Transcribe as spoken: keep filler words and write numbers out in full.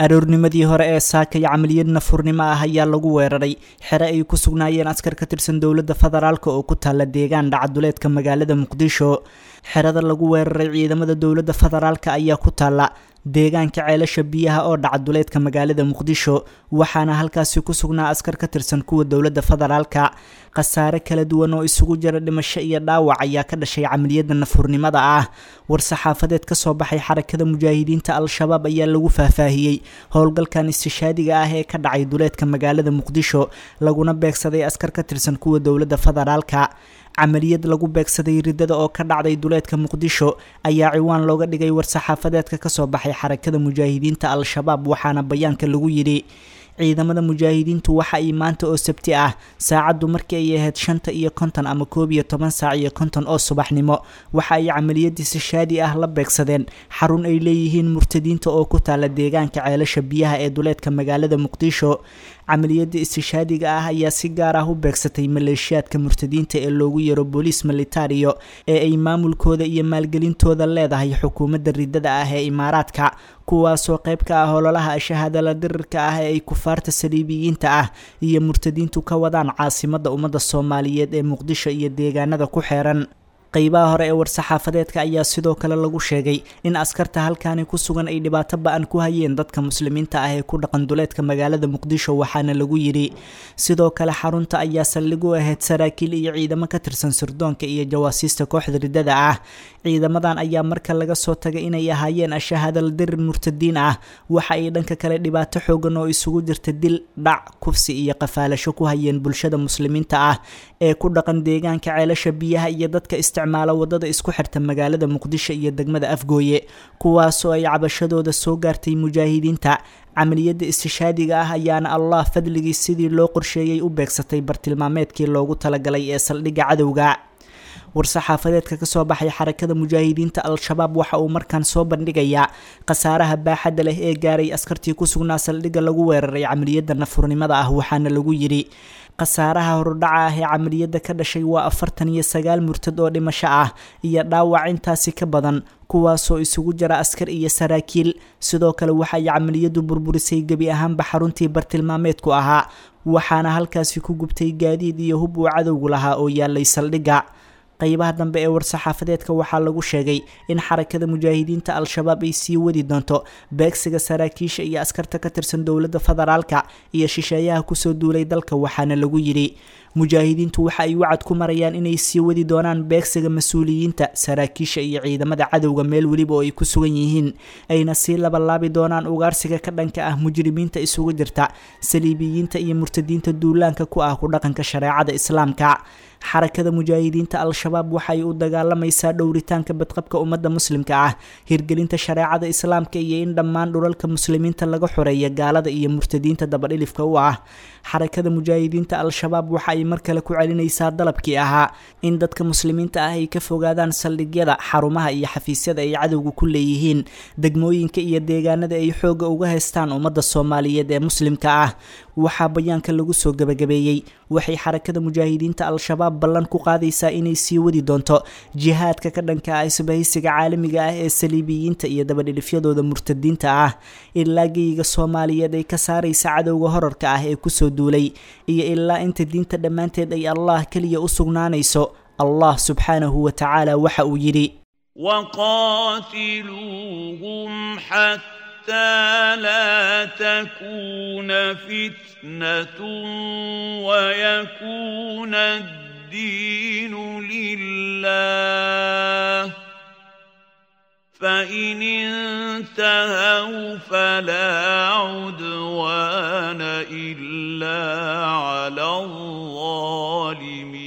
Aroornimadii hore ee saakay camaliyad nafurnimo ah ayaa lagu weeraray xere ay ku sugnaayeen askar ka tirsan dowladda federaalk oo ku taalla deegaan dhacaduleedka magaalada Muqdisho. Xerada lagu weeraray ciidamada dowladda federaalk ayaa ku taalla deegaanka Ceelasha Biyaha oo dhacaduleedka magaalada Muqdisho, waxaana halkaasi ku sugnaa askar ka tirsan kuwa dowladda federaalka. Khasaare kala duwan oo isugu jira dhimasho iyo dhaawac ayaa ka dhashay camaliyadda nafurnimada ah. War-saxaafadeed ka soo baxay Xarakada Mujaahidiinta Al-Shabaab ayaa lagu faahfaahiyey howlgalkan istishaadiga ah ee ka dhacay duleedka magaalada Muqdisho, laguna beegsaday askar ka tirsan kuwa dowladda federaalka. Camaliyad lagu beegsaday riddada oo ka dhacday duleedka Muqdisho ayaa ciwaan looga dhigay war-saxaafadeedka kasoo baxay Xarakada Mujaahidiinta Al-Shabaab, waxaana bayaanka lagu yidhi: Ciidamada mujaahidiintu waxa ay maanta oo Sabti ah, saacaddu markii ay ahayd shanta iyo konton ama koob iyo toban saac iyo konton oo subaxnimo, waxa ay camaliyadii sishaadi ah la beegsadeen xarun ay leeyihiin murtadiinta oo ku taala deegaanka Ceelasha Biyaha ee duleedka magaalada Muqdisho. Camaliyadda istishaadiga ah ayaa si gaar ah u beegsatay maleeshiyaadka murtadiinta ee loogu yeero booliis militario ee ay maamulkooda iyo maalgelintooda leedahay xukuumadda riddada ah ee Imaaraadka, kuwaasoo qayb ka ah ololaha shahaadala dirirka ah ee ay kufaarta saliibiyiinta ah iyo murtadiintu ka wadaan caasimadda ummadda Soomaaliyeed ee Muqdisho iyo deegaanada ku xeeran. Qeybaha hore ee war-saxaafadeedka ayaa sidoo kale lagu sheegay in askarta halkaani ku sugan ay dhibaato ba-an ku hayeen dadka muslimiinta ah ee ku dhaqan duleedka magaalada Muqdisho, waxaana lagu yidhi: Sidoo kale xarunta ayaa saldhig u ahayd saraakiil iyo ciidamo ka tirsan sirdoonka iyo jawaasiista kooxda riddada ah. Ciidamadan ayaa marka laga soo tagay inay ahaayeen ashahadal dirir murtadiin ah, waxa ay dhanka kale dhibaato xoogan oo isugu jirta dil, dhac, kufsi iyo qafaalasho ku hayeen bulshada muslimiinta ah ee ku dhaqan deegaanka Ceelasha Biyaha iyo dadka isticmaala wadada isku xirta magaalada Muqdisho iyo degmada Afgooye, kuwaasoo ay cabashadooda soo gaartay mujaahidiinta. Camaliyadda istishaadiga ah ayaana Allah fadligii sidii loo qorsheeyey u beegsatay bartilmaameedkii loogu talagalay ee saldhigga cadowga. War-saxaafadeedka kasoo baxay Xarakada Mujaahidiinta Al-Shabaab waxa uu markaan soo bandhigayaa khasaaraha baaxadda leh ee gaaray askartii ku sugnaa saldhigga lagu weeraray camaliyadda nafurnimada ah, waxaana lagu yidhi: Khasaaraha horudhaca ah ee camaliyadda ka dhashay waa afartan iyo sagaal murtad oo dhimasho ah iyo dhaawac intaasi ka badan, kuwaasoo isugu jira askar iyo saraakiil. Sidoo kale waxay camaliyaddu burburisay gebi ahaanba xaruntii bartilmaameedku ahaa, waxaana halkaasi ku gubtay gaadiid iyo hub uu cadowgu lahaa oo yaalay saldhigga. Qaybaha dambe ee war-saxaafadeedka waxaa lagu sheegay in Xarakada Mujaahidiinta Al-Shabaab ay sii wadi doonto beegsiga saraakiisha iyo askarta ka tirsan dowladda federaalka iyo shisheeyaha kusoo duulay dalka, waxaana lagu yidhi: Mujaahidiintu waxa ay wacad ku marayaan inay sii wadi doonaan beegsiga mas-uuliyiinta, saraakiisha iyo ciidamada cadowga meel weliba oo ay ku sugan yihiin, ayna sii labalaabi doonaan ugaarsiga ka dhanka ah mujrimiinta isugu jirta saliibiyiinta iyo murtadiinta duulaanka ku ah ku dhaqanka shareecada Islaamka. Xarakada Mujaahidiinta Al-Shabaab waxay u dagaalamaysaa dhowritaanka badqabka ummadda muslimka ah, hirgelinta shareecada Islaamka iyo in dhammaan dhulalka muslimiinta laga xoreeya gaalada iyo murtadiinta dabadhilifka u ah. Xarakada Mujaahidiinta Al-Shabaab waxa ay mar kale ku celinaysaa dalabkii ahaa in dadka muslimiinta ah ay ka fogaadaan saldhigyada, xarumaha iyo xafiisyada ay cadowga ku leeyihiin degmooyinka iyo deegaanada ay xoogga uga haystaan ummadda Soomaaliyeed ee muslimka ah. Waxaa bayaanka lagu soo gabagabeeyey: Waxay Xarakada Mujaahidiinta Al-Shabaab ballan ku qaadaysaa inay sii wadi doonto jihaadka ka dhanka ah isbahaysiga caalamiga ah ee saliibiyiinta iyo dabadhilifyadooda murtadiinta ah, ilaa geyiga Soomaaliyeed ay ka saaraysa cadowga horarka ah ee kusoo duulay iyo ilaa inta diinta dhammaanteed ay Allah keliya u sugnaanayso. Allah subxaanahu wa tacaala waxa uu yidhi: وقاتلوهم حتى لا تكون فتنة ويكون الدين لله، فإن انتهوا فلا عدوان إلا على الظالمين.